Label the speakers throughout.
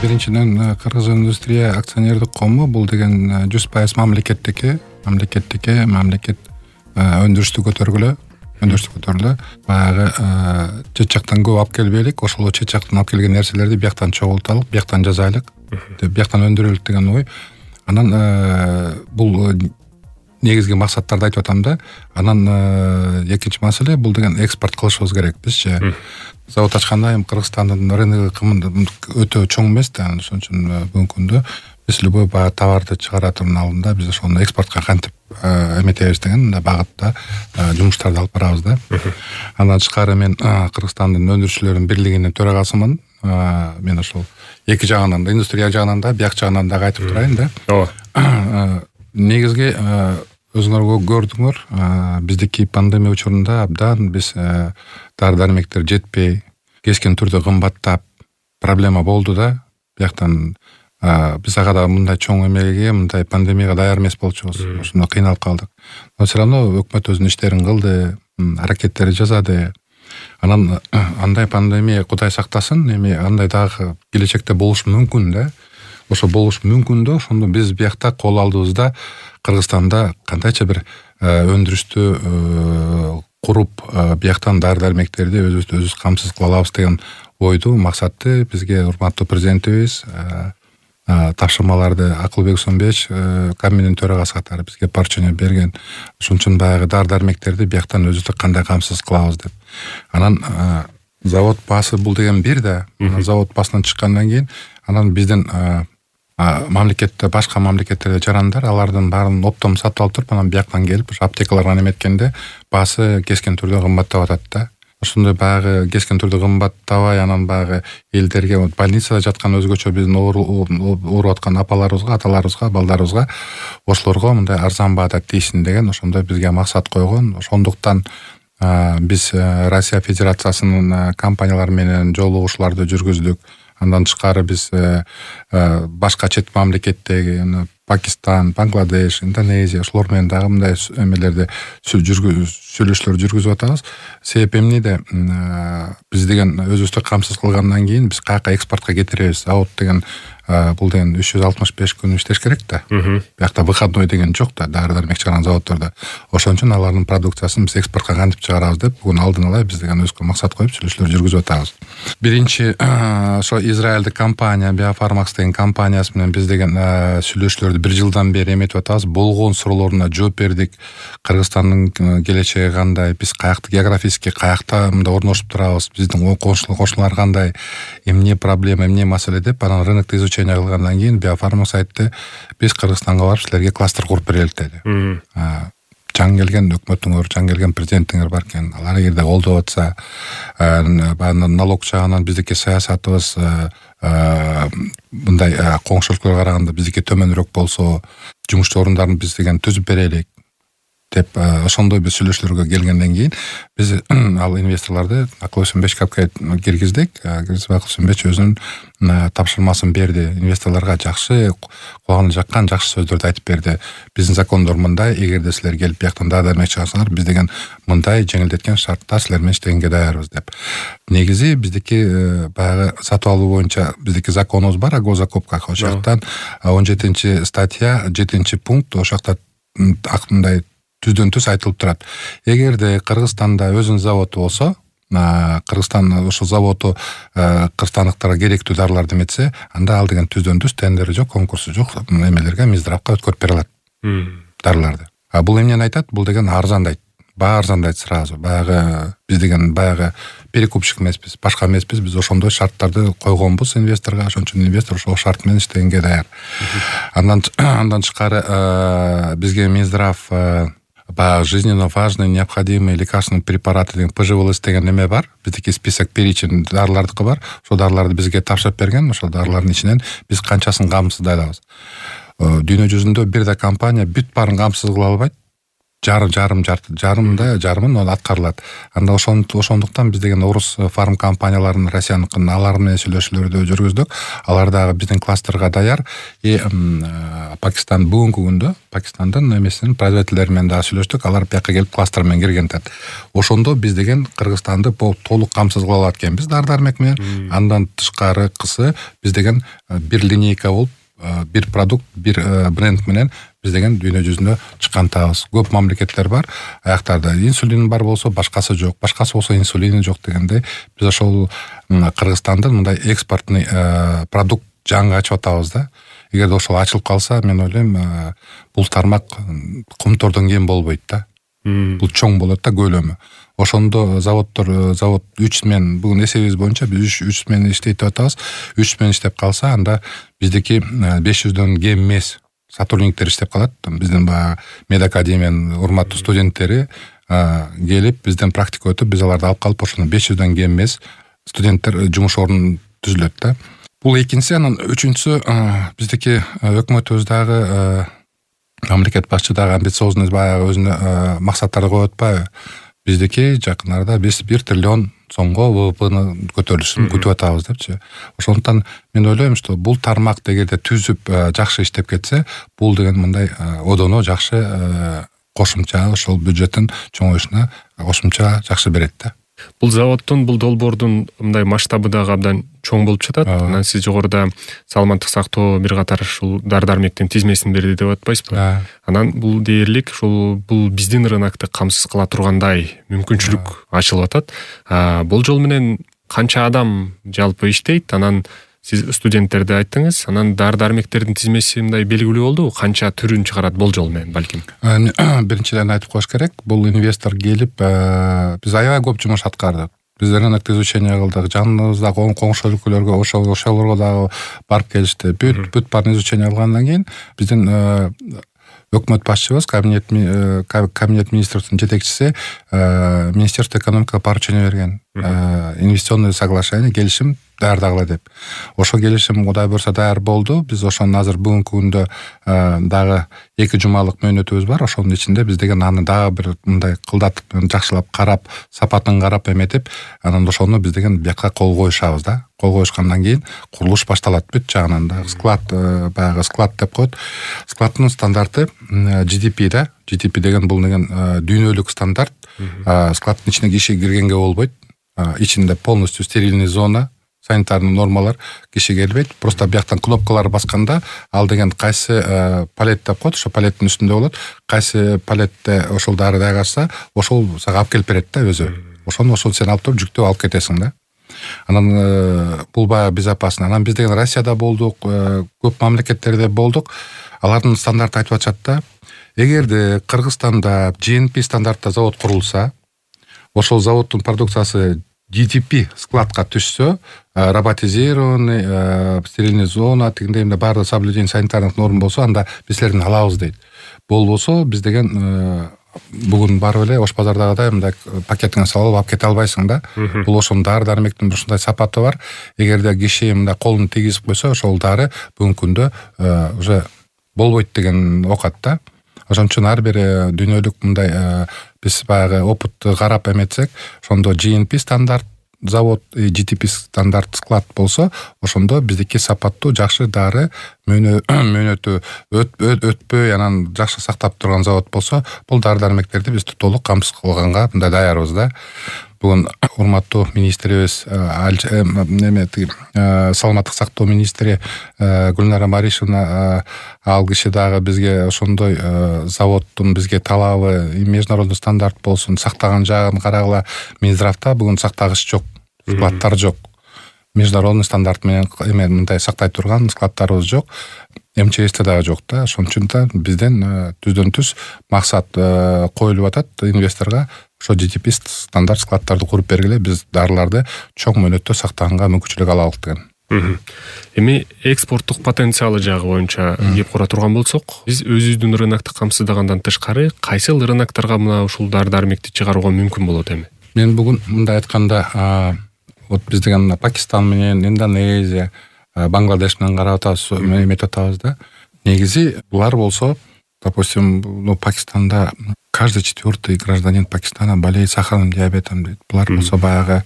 Speaker 1: Биринчиден Кыргыз индустрия акционердик коому бул деген 100% мамлекеттики. Мамлекет өндүрүштү көтөргүлө. Баягы чет жактан көп алып келбейлик, ошол чет жактан алып келген нерселерди бияктан чогулталык, бияктан жазайлык, бияктан өндүрөлүк деген ой. Анан бул негизги максаттарды айтып атам да. Анан экинчи маселе бул деген экспорт кылышыбыз керек бизчи. Завод ачканда эми Кыргызстандын рыногу өтө чоң эмес да, ошон үчүн бүгүнкү күндө биз любой товарды чыгара турган алдында биз ошону экспортко кантип эметебиз деген багытта жумуштарды алып барабыз да. Андан тышкары мен Кыргызстандын өндүрүүчүлөрүнүн бирлигинин төрагасымын. Мен ошол эки жагынан да, индустрия жагынан да, бияк жагынан да айтып турайын да.
Speaker 2: Ооба.
Speaker 1: Негизги өзүңөр көрдүңөр, биздики пандемия учурунда абдан биз дары-дармектер жетпей, кескен түрдө кымбаттап проблема болду да. Бияктан биз ага да мындай чоң эмеге, мындай пандемияга даяр эмес болчубуз. Ошондо кыйналып калдык. Но все равно өкмөт өзүнүн иштерин кылды, аракеттери жасады. Анан андай пандемия Кудай сактасын, эми андай дагы келечекте болушу мүмкүн да. Ошо болушу мүмкүн да. Ошондо биз биякта кол алдыбызда Кыргызстанда кандайча бир өндүрүштү куруп, бияктан дары-дармектерди өзүбүз камсыз кыла алабыз деген ойду, максатты бизге урматтуу президентибиз тапшырмаларды Акылбек Сөнбеч Кабминдин төрагасы катары бизге поручение берген. Ошон үчүн баягы дары-дармектерди бияктан өзүбүз кандай камсыз кылабыз деп. Анан завод баасы бул деген бир да. Завод басынан чыккандан кийин анан биздин мамлекетте, башка мамлекеттерде жарандар алардын баарын оптом сатып алып туруп, анан бияктан келип аптекаларга неметкенде баасы кескен түрдө кымбаттап атат да. Ошондой баягы кескен түрдө кымбаттабай, анан баягы элдерге больницада жаткан өзгөчө биздин ооруп аткан апаларыбызга, аталарыбызга, балдарыбызга ошолорго мындай арзан баада тийсин деген ошондой бизге максат койгон. Ошондуктан биз Россия Федерациясынын компаниялары менен жолугушууларды жүргүздүк. Андан тышкары биз башка чет мамлекеттеги Пакистан, Бангладеш, Индонезия ошолор менен дагы мындай эмелерди сүйлөшүүлөр жүргүзүп атабыз. Себеп эмнеде биз деген өзүбүздү камсыз кылгандан кийин биз каяка экспортко кетиребиз. Завод деген бул деген 365 күн иштеш керек да. Биякта выходной деген жок да, дары-дармек чыгарган заводдордо. Ошон үчүн алардын продукциясын биз экспортко кантип чыгарабыз деп бүгүн алдын ала биз деген өзгө максат коюп сүйлөшүүлөр жүргүзүп атабыз. Биринчи ошо Израилдик компания Biofarmax деген компаниясы менен биз деген сүйлөшүүлөрдү 1 жылдан бери эметип атабыз. Болгон суроолоруна жооп бердик. Кыргызстандын келечеги кандай, биз каякта географически каякта мындай орношуп турабыз, биздин кошуналар кандай, эмне проблема, эмне маселе деп анан рынокто изучение кылгандан кийин Biofarmax айтты, биз Кыргызстанга барып силерге кластер куруп берелик деди. Жаңы келген өкмөтүңөр, жаңы келген президентиңер бар экен. Алар эгерде колдоп атса, налог жагынан биздики саясатыбыз мындай коңшу өлкөлөргө караганда биздики төмөнүрөөк болсо, жумуш орундарын биз деген түзүп берелик деп ошондой биз сүйлөшүүлөргө келгенден кийин биз ал инвесторлорду Акылбек Сөнбеч капка киргиздик. Акылбек Сөнбеч өзүнүн тапшырмасын берди. Инвесторлорго жакшы, кулагына жаккан жакшы сөздөрдү айтып берди. Биздин закондор мындай, эгерде силер келип бияктан дары-дармек чыгарсаңар, биз деген мындай жеңилдеткен шартта силер менен иштегенге даярбыз деп. Негизи биздики баягы сатып алуу боюнча биздики законубуз бар, агозакупка. Ошол жактан 17 статья 7 пункт ошол жакта мындай түздөн түз айтылып турат. Эгерде Кыргызстанда өзүнүн заводу болсо, Кыргызстан ошол заводу кыргызстандыктарга керектүү дарыларды эметсе, анда ал деген түздөн түз тендери жок, конкурсу жок эмелерге Минздравга өткөрүп бере алат дарыларды. Бул эмнени айтат? Бул деген арзандайт. Баа арзандайт сразу. Баягы биз деген баягы перекупщик эмеспиз, башка эмеспиз. Биз ошондой шарттарды койгонбуз инвесторго, ошон үчүн инвестор ошол шарт менен иштегенге даяр. Андан тышкары бизге Минздрав жизненно важные, необходимые лекарственные препараты деген ПЖВЛС деген эме бар. Биздики список перечень дарылардыкы бар. Ошол дарыларды бизге тапшырып берген. Ошол дарылардын ичинен биз канчасын камсыздай алабыз. Дүйнө жүзүндө бир да компания бүт баарын камсыз кыла албайт. жарымын ал аткарылат. Анда ошондуктан биз деген орус фарм компанияларын Россияныкын алар менен сүйлөшүүлөрдү жүргүздүк. Алар дагы биздин кластерга даяр. Пакистан бүгүнкү күндө Пакистандын эмесинин производителдери менен дагы сүйлөштүк. Алар бияка келип кластер менен киргентет. Ошондо биз деген Кыргызстанды толук камсыз кыла алат экенбиз дары-дармек менен. Андан тышкарыкысы биз деген бир линейка болуп, бир продукт, бир бренд менен биз деген дүйнө жүзүнө чыккантабыз. Көп мамлекеттер бар. Аяктарда инсулин бар болсо, башкасы жок. Башкасы болсо инсулини жок дегенде биз ошол Кыргызстандын мындай экспортный продукт жаңы ачып атабыз да. Эгерде ошол ачылып калса, мен ойлойм, бул тармак Кумтордон кем болбойт да. Бул чоң болот да көлөмү. Ошондо завод 3 мен бүгүн эсебибиз боюнча биз 3 мен иштейт атабыз. 3 мен иштеп калса, анда биздики 500дөн кем эмес сотрудниктер иштеп калат. Биздин баягы медакадемиянын урматтуу студенттери келип бизден практика өтүп, биз аларды алып калып, ошондо 500дөн кем эмес студенттер жумуш орнун түзүлөт да. Бул экинчиси. Анан үчүнчүсү, биздики өкмөтүбүз дагы мамлекет башчы дагы амбициозный баягы өзүнө максаттарды коюп атпайбы? Биздики жакын арада биз 1 триллион сомго ВВПны көтөрүлүшүн күтүп атабыз депчи. Ошондуктан мен ойлойм, что бул тармак дегенде түзүп жакшы иштеп кетсе, бул деген мындай одоно жакшы кошумча ошол бюджеттин чоңоюшуна кошумча жакшы берет да.
Speaker 2: Бул заводдун, бул долбоордун мындай масштабы дагы абдан чоң болуп жатат. Анан сиз жогоруда саламаттык сактоо бир катар ушул дары-дармектин тизмесин берди деп атпайсызбы? Анан бул дээрлик бул биздин рынокто камсыз кыла тургандай мүмкүнчүлүк ачылып атат. Болжол менен канча адам жалпы иштейт? Анан сиз студенттерди айттыңыз. Анан дары-дармектердин тизмеси мындай белгилүү болдубу? Канча түрүн чыгарат болжол менен балким?
Speaker 1: Биринчиден айтып коюш керек, бул инвестор келип, биз аябай көп жумуш аткардык. Биз рынокто изучение кылдык, жаныбыздагы коңшу өлкөлөргө, ошолорго дагы барып келишти. Бүт баарын изучение кылгандан кийин биздин өкмөт башчыбыз, кабинет министрдин жетекчиси Министерство экономикага поручение берген. Инвестиционный соглашение, келишим даярдагыла деп. Ошо келишим Кудай буйрса даяр болду. Биз ошону азыр бүгүнкү күндө дагы 2 жумалык мөөнөтүбүз бар. Ошонун ичинде биз деген аны дагы бир мындай кылдатып, жакшылап карап, сапатын карап эметип, анан ошону биз деген бияка кол коюшабыз да. Кол коюшкандан кийин курулуш башталат бүт жагынан да. Склад, баягы склад деп коет. Складдын стандарты GDP да. GDP деген бул деген дүйнөлүк стандарт. Складдын ичине киши киргенге болбойт. Ичинде полностью стерильный зона, санитарный нормалар, киши келбейт. Просто бияктан кнопкалар басканда, ал деген кайсы палет деп коет, ошо палеттин үстүндө болот. Кайсы палетте ошол дары дайгашса, ошол сага алып келип берет да өзү. Ошону сен алып туруп жүктөп алып кетесиң да. Анан бул баягы безопасно. Анан биз деген Россияда болдук, көп мамлекеттерде болдук. Алардын стандарты айтып атышат да. Эгерде Кыргызстанда GNP стандартта завод курулса, ошол заводдун продукциясы GDP складка түшсө, роботизированный, стерильный зона, тигиндей баардык соблюдение санитарных норм болсо, анда биз силердин алабыз дейт. Болбосо биз деген бүгүн барып эле Ош базардагыдай мындай пакетиңе салып алып кете албайсың да. Бул ошонун дары-дармектин ушундай сапаты бар. Эгерде киши мындай колун тийгизип койсо, ошол дары бүгүнкү күндө уже болбойт деген окат да. Ошон үчүн ар бир дүйнөлүк мындай биз баягы опытты карап эметсек, ошондо GNP стандарт завод, GDP стандарт склад болсо, ошондо биздики сапаттуу жакшы дары мөөнөтү өтпөй, анан жакшы сактап турган завод болсо, бул дары-дармектерди биз толук камсыз кылганга мындай даярбыз да. Бүгүн урматтуу министрибиз саламаттык сактоо министри Гүлнара Маришевна, ал киши дагы бизге ошондой заводдун бизге талабы международный стандарт болсун, сактаган жагын карагыла. Минздравда бүгүн сактагыч жок, складтар жок. Международный стандарт менен мындай сактай турган складтарыбыз жок. МЧСте дагы жок да. Ошон үчүн да бизден түздөн түз максат коюлуп атат инвесторго. Ошо GDP стандарт складтарды куруп бергиле, биз дарыларды чоң мөөнөттө сактаганга мүмкүнчүлүк алалык деген.
Speaker 2: Эми экспорттук потенциалы жагы боюнча кеп кура турган болсок, биз өзүбүздүн рынокто камсыздагандан тышкары кайсыл рыноктарга мына ушул дары-дармекти чыгарууга мүмкүн болот эми?
Speaker 1: Мен бүгүн мындай айтканда, вот биз деген Пакистан менен, Индонезия, Бангладеш менен карап атабыз, эметип атабыз да. Негизи булар болсо, допустим, Пакистанда каждый 4-й гражданин Пакистана болеет сахарным диабетом дейт. Булар болсо баягы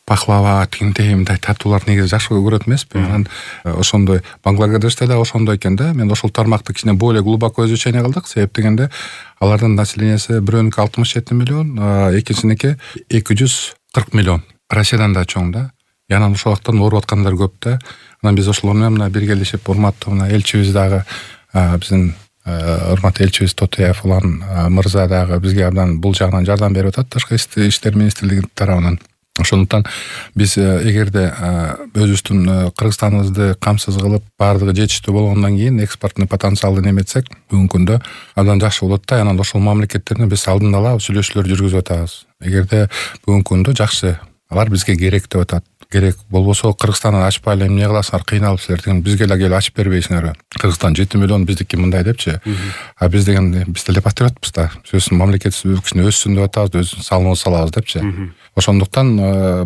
Speaker 1: пахлава, тигиндей мындай татуулар негизи жакшы көрөт эмеспи? Анан ошондой Бангладеште да ошондой экен да. Мен ошол тармакты кичине более глубоко изучение кылдык. Себеп дегенде алардын населениясы бирөөнүкү 67 миллион, экинчиники 240 миллион. Россиядан да чоң да. Анан ошолуктан ооруп аткандар көп да. Анан биз ошолор менен мына биргелешип урматтуу мына элчибиз дагы биздин урматтуу элчибиз Тотуяев улан мырза дагы бизге абдан бул жагынан жардам берип атат Тышкы иштер министрлиги тарабынан. Ошондуктан биз эгерде өзүбүздүн Кыргызстаныбызды камсыз кылып баардыгы жетиштүү болгондон кийин экспорттун потенциалын эметсек бүгүнкү күндө абдан жакшы болот да. Анан ошол мамлекеттердин биз алдын ала сүйлөшүүлөр жүргүзүп атабыз. Эгерде бүгүнкү күндө жакшы алар бизге керек деп атат. Керек болбосо Кыргызстанды ачпай эле эмне кыласыңар, кыйналып силер деген бизге эле келип ачып бербейсиңерби? Кыргызстан 7 миллион биздики мындай депчи. А биз деген биз деле патриотпуз да. Биздин мамлекетибиз кичине өссүн деп атабыз, өзүбүздүн салымыбызды салабыз депчи. Ошондуктан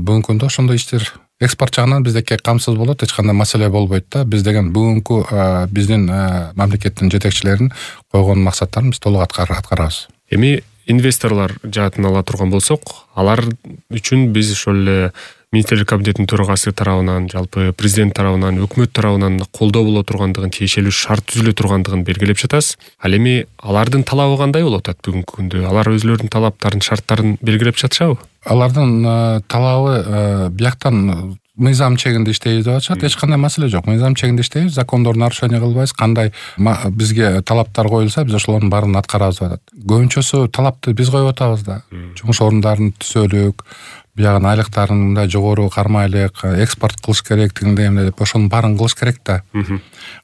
Speaker 1: бүгүнкү күндө ошондой иштер экспорт жагынан биздеки камсыз болот, эч кандай маселе болбойт да. Биз деген бүгүнкү биздин мамлекеттин жетекчилеринин койгон максаттарын биз толук аткарабыз.
Speaker 2: Эми инвесторлор жаатын ала турган болсок, алар үчүн биз ошол эле Министрлер кабинетинин төрагасы тарабынан, жалпы президент тарабынан, өкмөт тарабынан колдоо боло тургандыгын, тиешелүү шарт түзүлө тургандыгын белгилеп жатасыз. Ал эми алардын талабы кандай болуп атат бүгүнкү күндө? Алар өзлөрүнүн талаптарын, шарттарын белгилеп жатышабы?
Speaker 1: Алардын талабы бияктан мыйзам чегинде иштейбиз деп атышат. Эч кандай маселе жок. Мыйзам чегинде иштейбиз, закондорду нарушение кылбайбыз. Кандай бизге талаптар коюлса, биз ошолордун баарын аткарабыз деп атат. Көбүнчөсү талапты биз коюп атабыз да. Жумуш орундарын түзөлүк, биягын айлыктарын мындай жогору кармайлык, экспорт кылыш керек дегендей эмне деп ошонун баарын кылыш керек да.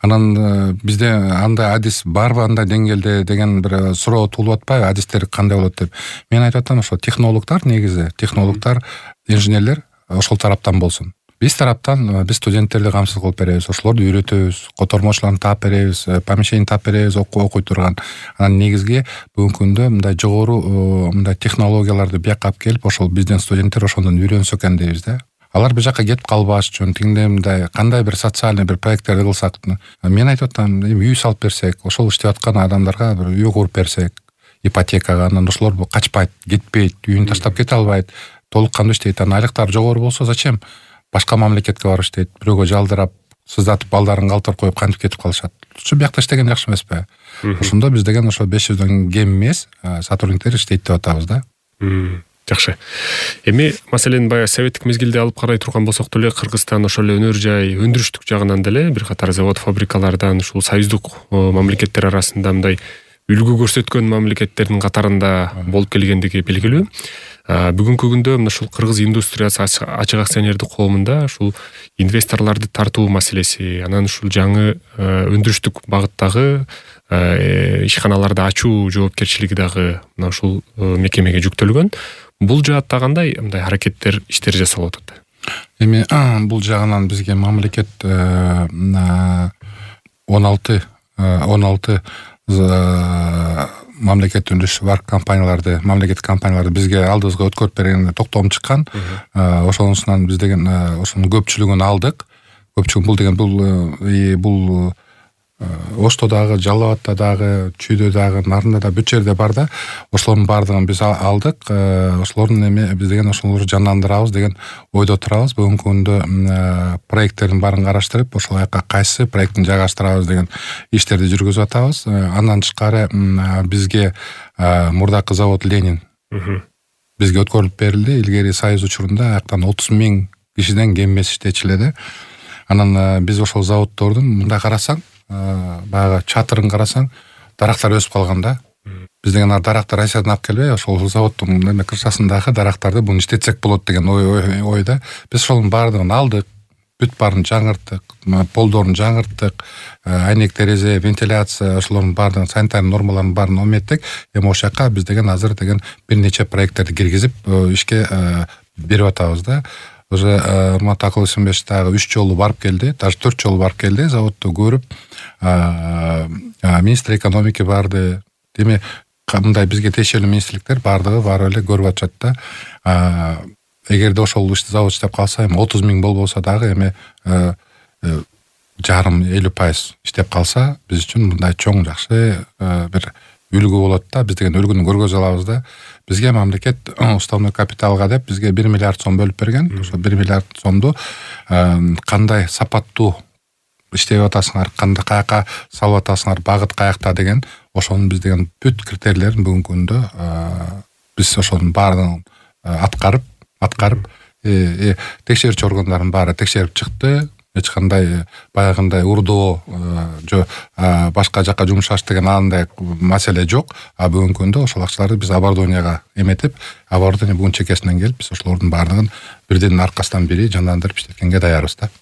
Speaker 1: Анан бизде андай адис барбы андай деңгээлде деген бир суроо туулуп атпайбы, адистер кандай болот деп. Мен айтып атам, ошо технологдор негизи, технологдор, инженерлер ошол тараптан болсун. Биз тараптан биз студенттерди камсыз кылып беребиз, ошолорду үйрөтөбүз, котормочуларын таап беребиз, помещение таап беребиз, окуй турган. Анан негизги бүгүнкү күндө мындай жогору мындай технологияларды бияка алып келип, ошол биздин студенттер ошондон үйрөнсө экен дейбиз да. Алар бул жака кетип калбаш үчүн тигиндей мындай кандай бир социальный бир проекттерди кылсак, мен айтып атам, үй салып берсек, ошол иштеп аткан адамдарга бир үй куруп берсек, ипотекага, анан ошолор качпайт, кетпейт, үйүн таштап кете албайт, толук кандуу иштейт. Анан айлыктары жогору болсо зачем башка мамлекетке барып иштейт, бирөөгө жалдырап, сыздатып, балдарын калтырып коюп кантип кетип калышат. Ушу биякта иштеген жакшы эмеспи? Ошондо биз деген ошо 500дөн кем эмес сотрудниктер иштейт деп атабыз да.
Speaker 2: Жакшы. Эми маселени баягы советтик мезгилде алып карай турган болсок деле, Кыргызстан ошол эле өнөр жай, өндүрүштүк жагынан деле бир катар завод, фабрикалардан ушул союздук мамлекеттер арасында мындай үлгү көрсөткөн мамлекеттердин катарында болуп келгендиги белгилүү. Бүгүнкү күндө мына ушул кыргыз индустриясы ачык акционердик коомунда ушул инвесторлорду тартуу маселеси, анан ушул жаңы өндүрүштүк багыттагы ишканаларды ачуу жоопкерчилиги дагы мына ушул мекемеге жүктөлгөн. Бул жаатта кандай мындай аракеттер, иштер жасалып атат?
Speaker 1: Эми бул жагынан бизге мамлекет 16 мамлекет үлүшү бар компанияларды, мамлекеттик компанияларды бизге алдыбызга өткөрүп берген токтом чыккан. Ошонусунан биз деген ошонун көпчүлүгүн алдык. Көпчүлүгүн бул деген бул Ошто дагы, Жалал Абадта дагы, Чүйдө дагы, Нарында да бүт жерде бар да. Ошолордун баардыгын биз алдык. Ошолордун эми биз деген ошолорду жандандырабыз деген ойдо турабыз. Бүгүнкү күндө проекттердин баарын караштырып, ошол жака кайсы проекттин жайгаштырабыз деген иштерди жүргүзүп атабыз. Андан тышкары бизге мурдакы завод Ленин бизге өткөрүлүп берилди. Илгери Союз учурунда аяктан 30.000 кишиден кем эмес иштечү эле. Анан биз ошол заводдордун мындай карасаң, баягы чатырын карасаң, дарактар өсүп калган да. Биз деген дарактар Россиядан алып келбей, ошол заводдун крышасындагы дарактарды буну иштетсек болот деген ойда. Биз ошонун баардыгын алдык, бүт баарын жаңырттык, полдорун жаңырттык, айнек терезе, вентиляция, ошолордун баардыгын санитарный нормаларын баарын omеттик. Эми ошол жака биз деген азыр деген бир нече проекттерди киргизип ишке берип атабыз да. Уже Урмат Акыл Исимбеш дагы 3 жолу барып келди, даже 4 жолу барып келди, заводду көрүп, министр экономики барды. Деме, мындай бизге тиешелүү министрликтер бардыгы барып эле көрүп атышат да. Эгерде ошол завод иштеп калса, эми 30.000 болбосо дагы эми жарым 50% иштеп калса, биз үчүн мындай чоң жакшы бир үлгү болот да, биз деген үлгүнү көргөзө алабыз да. Бизге мамлекет уставной капиталга деп бизге 1 миллиард сом бөлүп берген. Ошо 1 миллиард сомду кандай сапаттуу иштеп атасыңар, кандай каяка салып атасыңар, багыт каякта деген ошонун биз деген бүт критерийлерин бүгүнкү күндө биз ошонун баардыгын аткарып текшерүүчү органдардын баары текшерип чыкты. Эч кандай баягындай урдоо же башка жака жумшаш деген андай маселе жок. А бүгүнкү күндө ошол акчаларды биз оборудованияга эметип, оборудование бүгүн чекесинен келип, биз ошолордун баардыгын бирдин аркасынан бири жандандырып иштеткенге даярбыз да.